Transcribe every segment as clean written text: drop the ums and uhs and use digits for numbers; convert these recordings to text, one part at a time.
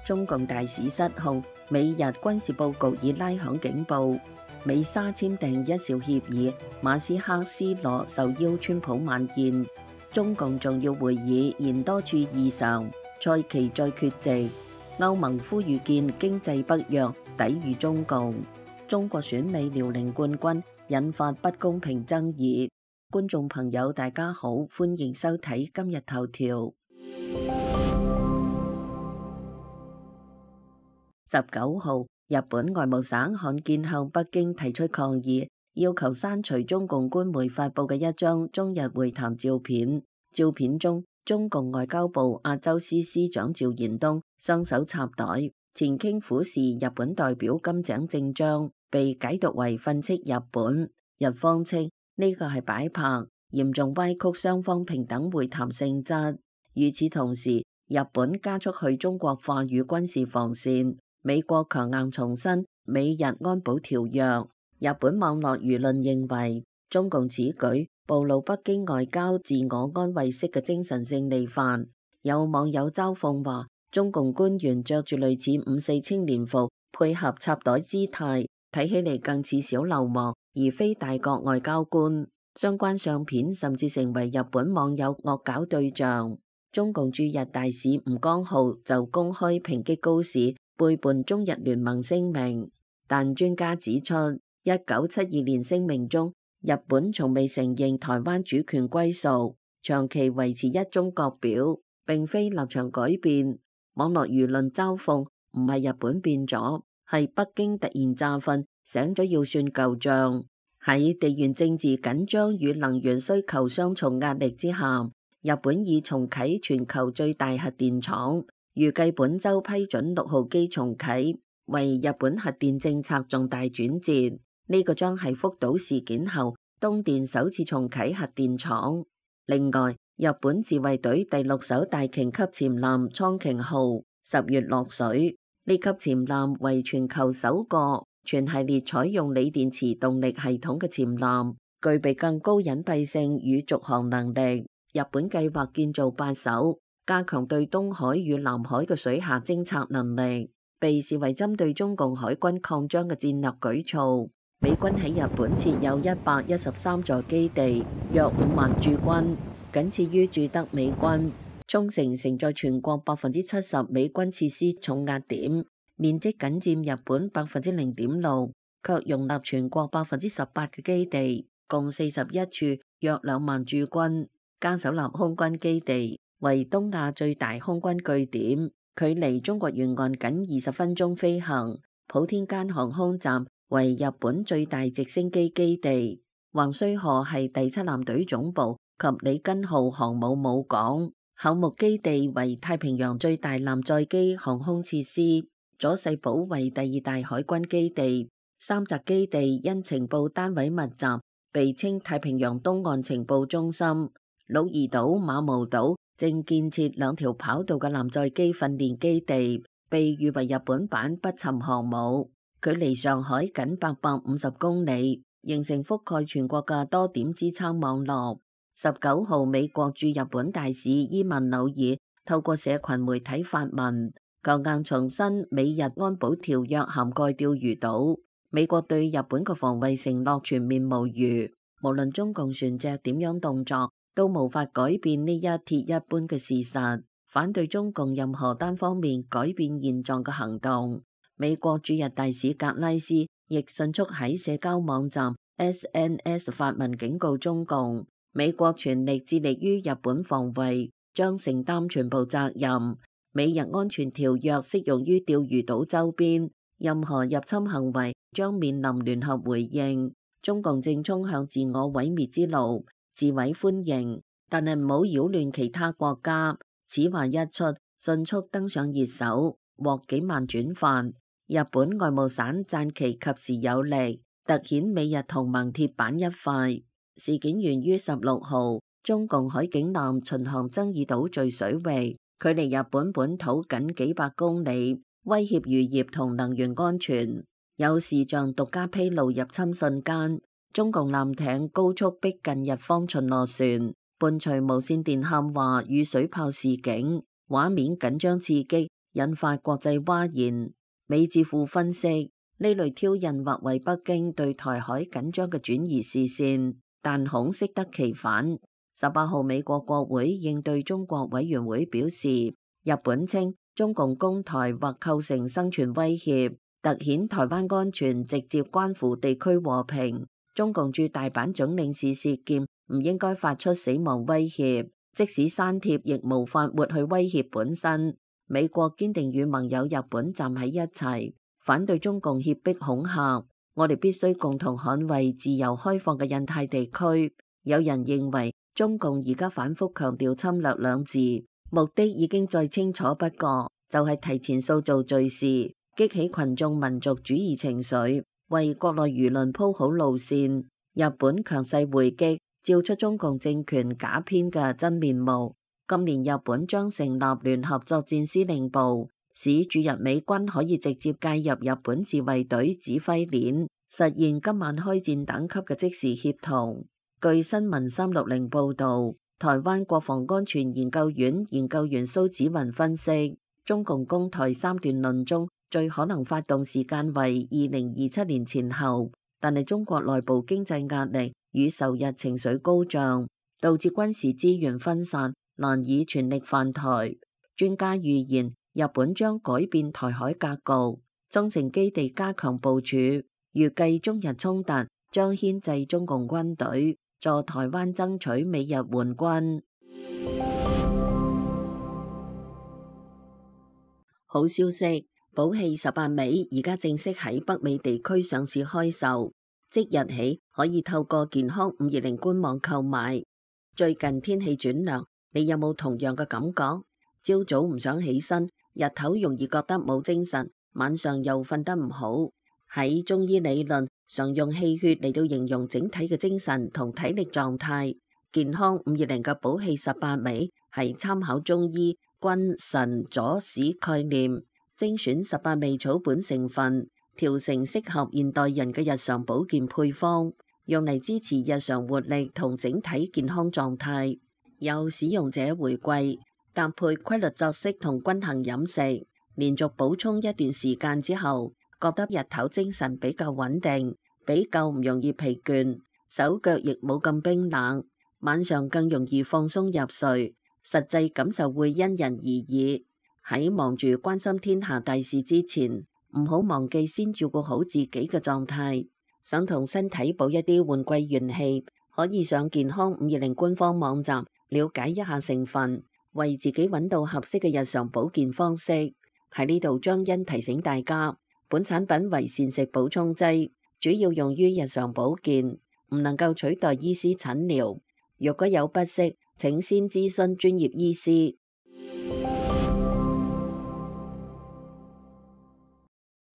中共大使失控，美日軍事佈局已拉響警報。美沙簽訂一兆協議，馬斯克斯羅受邀川普晚宴。中共重要會議現多處異常，蔡奇再缺席。歐盟呼籲建經濟北約，抵禦中共。中國選美遼寧冠軍，引發不公平爭議。觀眾朋友大家好，歡迎收睇今日頭條。19號，日本外務省罕見向北京提出抗議，要求刪除中共官媒發布嘅一張中日會談照片。照片中，中共外交部亞洲司司長趙延東雙手插袋，前傾俯視日本代表金井正章，被解讀為訓斥日本。日方稱呢個係擺拍，嚴重歪曲雙方平等會談性質。與此同時，日本加速去中國化與軍事防線。美國強硬重申美日安保條約。日本網絡輿論認為，中共此舉暴露北京外交自我安慰式嘅精神勝利範。有網友嘲諷話，中共官員着住類似5.4青年服，配合插袋姿態，睇起嚟更似小流氓，而非大國外交官。相關相片甚至成為日本網友惡搞對象。中共駐日大使吳江浩就公開抨擊高市背叛中日聯盟聲明，但專家指出，1972年聲明中，日本從未承認台灣主權歸屬，長期維持一中國表，並非立場改變。網絡輿論嘲諷，唔係日本變咗，係北京突然詐瞓，醒咗要算舊賬。喺地緣政治緊張與能源需求雙重壓力之下，日本已重啟全球最大核電廠。預計本週批准6號機重啟，為日本核電政策重大轉折。呢個將係福島事件後東電首次重啟核電廠。另外，日本自衛隊第6艘大型級潛艦蒼鯨號10月落水。呢級潛艦為全球首個全系列採用鋰電池動力系統嘅潛艦，具備更高隱蔽性與續航能力。日本計劃建造8艘，加強對東海與南海嘅水下偵察能力，被視為針對中共海軍擴張嘅戰略舉措。美軍喺日本設有113座基地，約5萬駐軍，僅次於駐德美軍。沖繩承載全國70%美軍設施重壓點，面積僅佔日本0.6%，卻容納全國18%嘅基地，共41處，約2萬駐軍。加手納空軍基地為東亞最大空軍據點，距離中國沿岸僅20分鐘飛行。普天間航空站為日本最大直升機基地。橫須賀係第7艦隊總部及里根號航母母港。厚木基地為太平洋最大艦載機航空設施。佐世保為第2大海軍基地。三澤基地因情報單位密集，被稱太平洋東岸情報中心。鹿兒島、馬毛島正建設2條跑道嘅艦載機訓練基地，被譽為日本版不沉航母，距離上海僅850公里，形成覆蓋全國嘅多點支撐網絡。19號，美國駐日本大使伊萬紐爾透過社群媒體發文，強硬重申美日安保條約涵蓋釣魚島，美國對日本嘅防衛承諾全面無虞，無論中共船隻點樣動作，都無法改變呢一鐵一般嘅事實，反對中共任何單方面改變現狀嘅行動。美國駐日大使格拉斯亦迅速喺社交網站 SNS 發文警告中共，美國全力致力於日本防衛，將承擔全部責任。美日安全條約適用於釣魚島周邊，任何入侵行為將面臨聯合回應。中共正衝向自我毀滅之路。自毀歡迎，但係唔好擾亂其他國家。此話一出，迅速登上熱搜，獲幾萬轉發。日本外務省讚其及時有力，凸顯美日同盟鐵板一塊。事件源於16號，中共海警艦巡航爭議島嶼水域，距離日本本土僅幾百公里，威脅漁業同能源安全。有視像獨家披露入侵瞬間。中共艦艇高速逼近日方巡邏船，伴隨無線電喊話與水炮示警，畫面緊張刺激，引發國際譁然。美智庫分析，呢類挑釁或為北京對台海緊張嘅轉移視線，但恐適得其反。18號美國國會應對中國委員會表示，日本稱中共攻台或構成生存威脅，凸顯台灣安全直接關乎地區和平。中共駐大阪總領事薛劍唔應該發出死亡威脅，即使刪帖亦無法抹去威脅本身。美國堅定與盟友日本站喺一齊，反對中共脅迫恐嚇。我哋必須共同捍衛自由開放嘅印太地區。有人認為中共而家反覆強調侵略兩字，目的已經再清楚不過，就係提前塑造敘事，激起群眾民族主義情緒，為國內輿論鋪好路線。日本強勢回擊，照出中共政權假編嘅真面目。今年日本將成立聯合作戰司令部，使駐日美軍可以直接介入日本自衛隊指揮鏈，實現今晚開戰等級嘅即時協同。據新聞360報導，台灣國防安全研究院研究員蘇紫雲分析，中共攻台三段論中最可能發動時間為2027年前後，但係中國內部經濟壓力與仇日情緒高漲，導致軍事資源分散，難以全力犯台。專家預言，日本將改變台海格局，中程基地加強部署，預計中日衝突將牽制中共軍隊，助台灣爭取美日援軍。好消息，寶氣18美而家正式喺北美地區上市開售，即日起可以透過健康520官網購買。最近天氣轉涼，你有冇同樣嘅感覺？朝早唔想起身，日頭容易覺得冇精神，晚上又瞓得唔好。喺中醫理論，常用氣血嚟到形容整體嘅精神同體力狀態。健康520嘅寶氣18美係參考中醫君臣佐使概念，精選18味草本成分，調成適合現代人嘅日常保健配方，用嚟支持日常活力同整體健康狀態。有使用者回饋，搭配規律作息同均衡飲食，連續補充一段時間之後，覺得日頭精神比較穩定，比較唔容易疲倦，手腳亦冇咁冰冷，晚上更容易放鬆入睡。實際感受會因人而異。喺忙住關心天下大事之前，唔好忘記先照顧好自己嘅狀態。想同身體補一啲換季元氣，可以上健康520官方網站了解一下成分，為自己揾到合適嘅日常保健方式。喺呢度張欣提醒大家，本產品為膳食補充劑，主要用於日常保健，唔能夠取代醫師診療。若果有不適，請先諮詢專業醫師。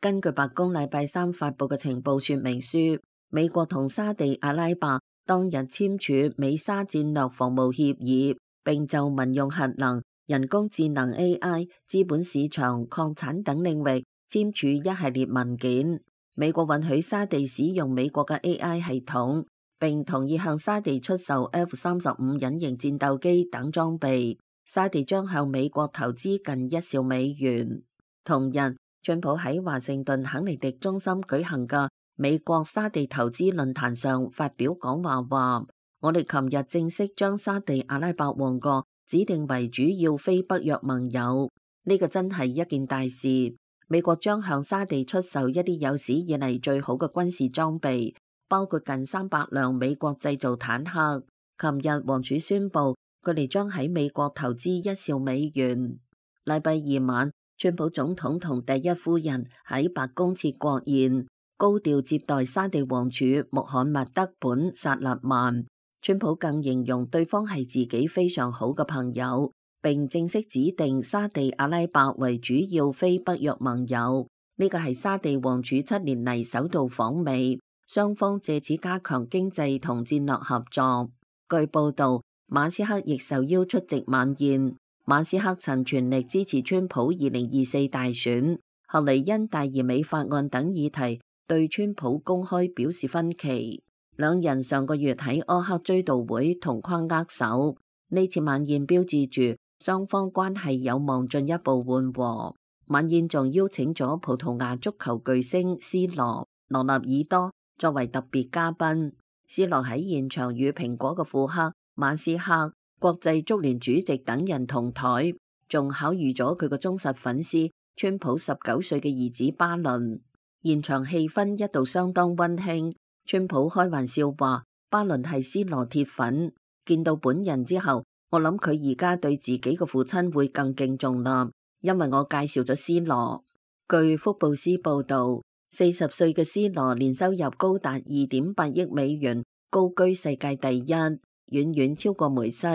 根據白宮禮拜3發佈嘅情報說明書，美國同沙地阿拉伯當日簽署美沙戰略防務協議，並就民用核能、人工智能 AI、資本市場、礦產等領域簽署一系列文件。美國允許沙地使用美國嘅 AI 系統，並同意向沙地出售 F-35隱形戰鬥機等裝備。沙地將向美國投資近1兆美元。同日，川普喺華盛頓肯尼迪中心舉行嘅美國沙地投資論壇上發表講話，話我哋琴日正式將沙地阿拉伯王國指定為主要非北約盟友。呢個真係一件大事。美國將向沙地出售一啲有史以嚟最好嘅軍事裝備，包括近300輛美國製造坦克。琴日王儲宣布，佢哋將喺美國投資1兆美元。禮拜二晚，川普總統同第一夫人喺白宮設國宴，高調接待沙地王儲穆罕默德本薩勒曼。川普更形容對方係自己非常好嘅朋友，並正式指定沙地阿拉伯為主要非北約盟友。呢個係沙地王儲7年嚟首度訪美，雙方借此加強經濟同戰略合作。據報道，馬斯克亦受邀出席晚宴。馬斯克曾全力支持川普2024大選，後嚟因大而美法案等議題對川普公開表示分歧。兩人上個月喺柯克追悼會同框握手，呢次晚宴標誌住雙方關係有望進一步緩和。晚宴仲邀請咗葡萄牙足球巨星C羅、羅納爾多作為特別嘉賓。C羅喺現場與蘋果嘅庫克、馬斯克、國際足聯主席等人同台，仲巧遇咗佢個忠實粉絲川普19歲嘅兒子巴倫。現場氣氛一度相當溫馨。川普開玩笑話，巴倫係C羅鐵粉，見到本人之後，我諗佢而家對自己嘅父親會更敬重啦，因為我介紹咗C羅。據福布斯報道，40歲嘅C羅年收入高達2.8億美元，高居世界第一，遠遠超過梅西。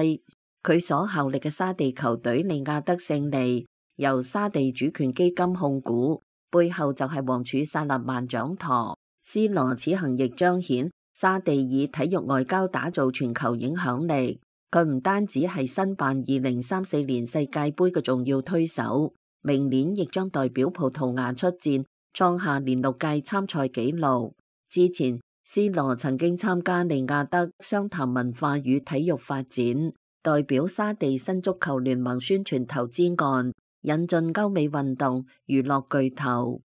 佢所效力嘅沙地球隊利雅得勝利，由沙地主權基金控股，背後就係王儲薩勒曼掌舵。C羅此行亦彰顯沙地以體育外交打造全球影響力。佢唔單止係申辦2034年世界盃嘅重要推手，明年亦將代表葡萄牙出戰，創下連6屆參賽紀錄。之前 C 羅曾經參加利雅得商談文化與體育發展，代表沙地新足球聯盟宣傳投資案，引進歐美運動娛樂巨頭。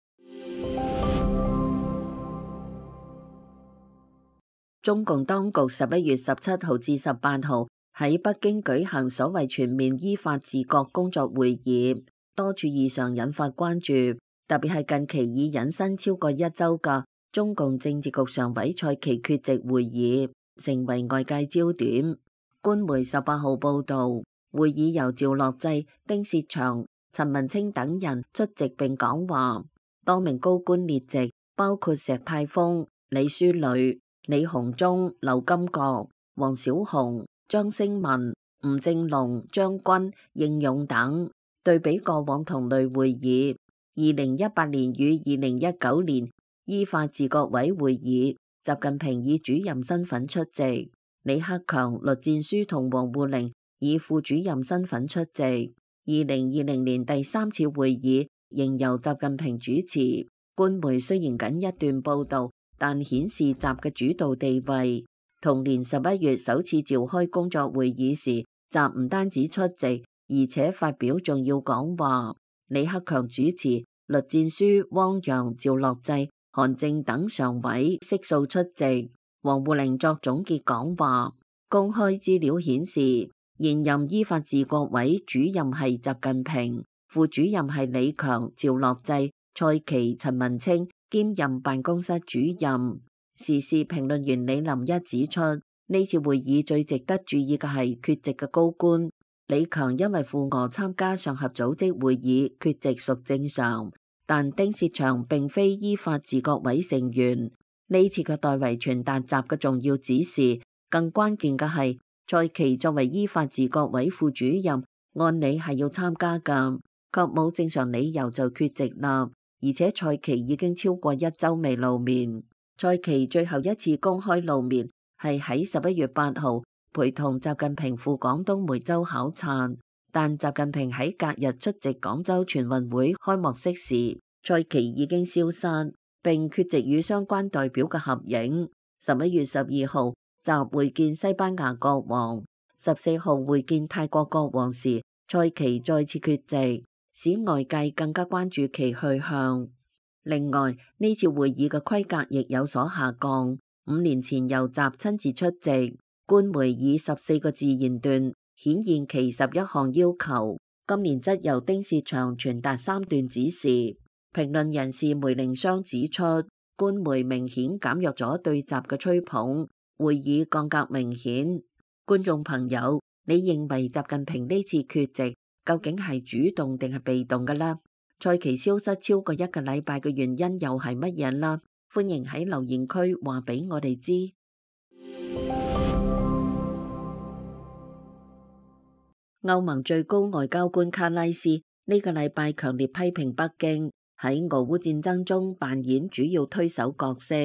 中共當局11月17號至18號喺北京舉行所謂全面依法治國工作會議，多處異常引發關注，特別係近期已引申超過1週嘅中共政治局常委蔡奇缺席會議，成為外界焦點。官媒18號報導，會議由趙樂際、丁薛祥、陳文清等人出席並講話，多名高官列席，包括石泰峰、李書磊、李鴻忠、劉金國、王小洪、張聲文、吳政龍、張軍、應勇等。對比過往同類會議，2018年與2019年依法治國委會議，習近平以主任身份出席，李克強、栗戰書同王滬寧以副主任身份出席。2020年第3次會議仍由習近平主持。官媒雖然僅一段報道，但顯示習嘅主導地位。同年11月首次召開工作會議時，習唔單止出席，而且發表重要講話。李克強主持，栗戰書、汪洋、趙樂際、韓正等常委悉數出席。王滬寧作總結講話。公開資料顯示，現任依法治國委主任係習近平，副主任係李強、趙樂際、蔡奇、陳文清，兼任辦公室主任。時事評論員李林一指出，呢次會議最值得注意嘅係缺席嘅高官。李強因為赴俄參加上合組織會議，缺席屬正常，但丁薛祥並非依法治國委成員，呢次嘅代為傳達習嘅重要指示。更關鍵嘅係，蔡奇作為依法治國委副主任，按理係要參加㗎，卻冇正常理由就缺席啦。而且蔡奇已經超過1週未露面。蔡奇最後一次公開露面係喺11月8號陪同習近平赴廣東梅州考察，但習近平喺隔日出席廣州全運會開幕式時，蔡奇已經消失，並缺席與相關代表嘅合影。11月12號習會見西班牙國王，14號會見泰國國王時，蔡奇再次缺席，使外界更加關注其去向。另外，呢次會議嘅規格亦有所下降。5年前由習親自出席，官媒以14個字言斷，顯現其11項要求。今年則由丁薛祥傳達3段指示。評論人士梅寧湘指出，官媒明顯減弱咗對習嘅吹捧，會議降格明顯。觀眾朋友，你認為習近平呢次缺席究竟係主動定係被動嘅呢？蔡奇消失超過1個禮拜嘅原因又係乜嘢啦？歡迎喺留言區話俾我哋知。歐盟最高外交官卡拉斯呢個禮拜強烈批評北京喺俄烏戰爭中扮演主要推手角色，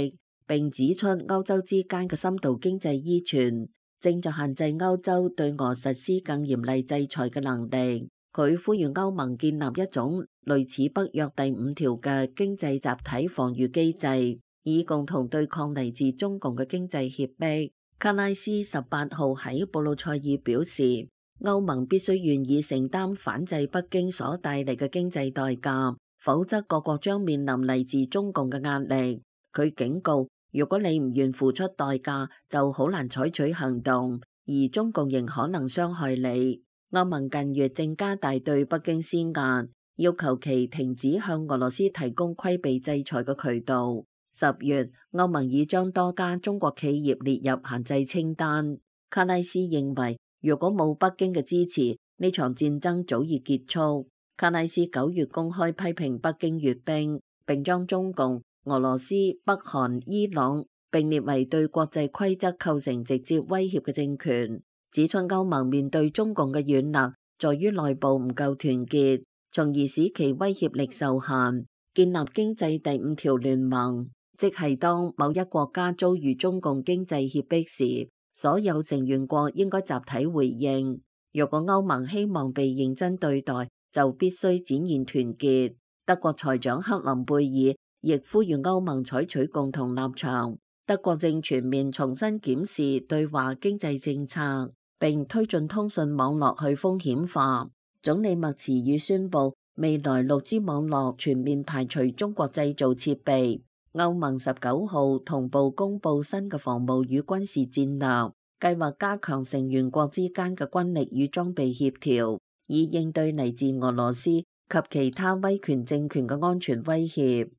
並指出歐洲之間嘅深度經濟依存正在限制歐洲對俄實施更嚴厲制裁嘅能力。佢呼籲歐盟建立一種類似北約第5條嘅經濟集體防禦機制，以共同對抗嚟自中共嘅經濟脅迫。卡拉斯18號喺布魯塞爾表示，歐盟必須願意承擔反制北京所帶嚟嘅經濟代價，否則各國將面臨嚟自中共嘅壓力。佢警告，如果你唔願付出代價，就好難採取行動，而中共仍可能傷害你。歐盟近月正加大對北京施壓，要求其停止向俄羅斯提供規避制裁嘅渠道。10月，歐盟已將多家中國企業列入限制清單。卡拉斯認為，如果冇北京嘅支持，呢場戰爭早已結束。卡拉斯9月公開批評北京閱兵，並將中共、俄羅斯、北韓、伊朗並列為對國際規則構成直接威脅嘅政權，指出歐盟面對中共嘅軟肋，在於內部唔夠團結，從而使其威脅力受限。建立經濟第5條聯盟，即係當某一國家遭遇中共經濟脅迫時，所有成員國應該集體回應。若果歐盟希望被認真對待，就必須展現團結。德國財長克林貝爾亦呼籲歐盟採取共同立場。德國正全面重新檢視對華經濟政策，並推進通訊網絡去風險化。總理默茨爾宣布，未來6G 網絡全面排除中國製造設備。歐盟19號同步公布新嘅防務與軍事戰略，計劃加強成員國之間嘅軍力與裝備協調，以應對嚟自俄羅斯及其他威權政權嘅安全威脅。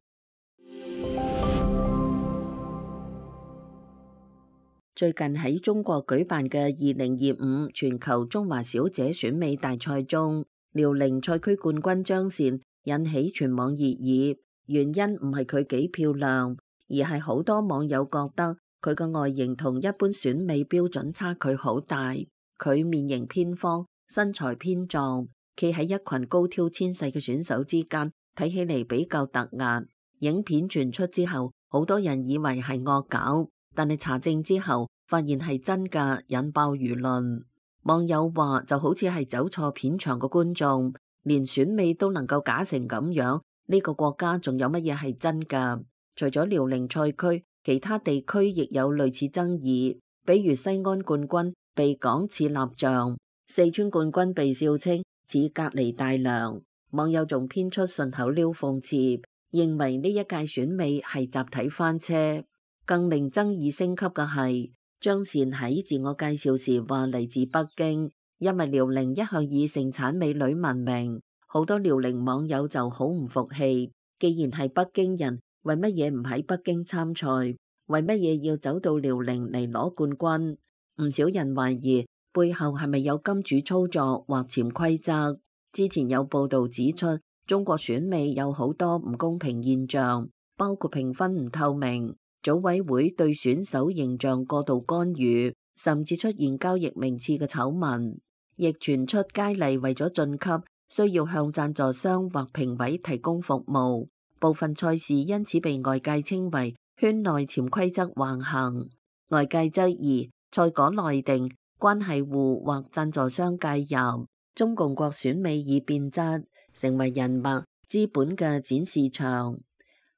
最近喺中國舉辦嘅2025全球中華小姐選美大賽中，遼寧賽區冠軍張倩引起全網熱議。原因唔係佢幾漂亮，而係好多網友覺得佢嘅外形同一般選美標準差距好大。佢面型偏方，身材偏壯，企喺一群高挑纖細嘅選手之間，睇起嚟比較突兀。影片傳出之後，好多人以為係惡搞，但係查證之後發現係真㗎，引爆輿論。網友話就好似係走錯片場嘅觀眾，連選美都能夠假成咁樣。呢個國家仲有乜嘢係真㗎？除咗遼寧賽區，其他地區亦有類似爭議，比如西安冠軍被講似蠟像，四川冠軍被笑稱似隔離大梁。網友仲編出順口溜諷刺，認為呢一屆選美係集體翻車。更令爭議升級嘅係，張倩喺自我介紹時話嚟自北京，因為遼寧一向以盛產美女聞名。好多遼寧網友就好唔服氣，既然係北京人，為乜嘢唔喺北京參賽？為乜嘢要走到遼寧嚟攞冠軍？唔少人懷疑背後係咪有金主操作或潛規則？之前有報道指出，中國選美有好多唔公平現象，包括評分唔透明、組委會對選手形象過度干預，甚至出現交易名次嘅醜聞，亦傳出佳麗為咗晉級，需要向贊助商或評委提供服務，部分賽事因此被外界稱為圈內潛規則橫行。外界質疑賽果內定、關係戶或贊助商介入，中共國選美已變質，成為人脈、資本嘅展示場。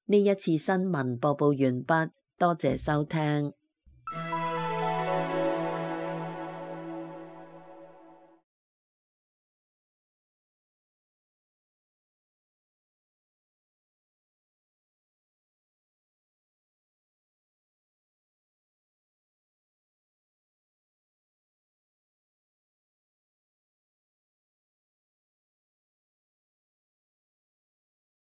呢一次新聞播報完畢，多謝收聽。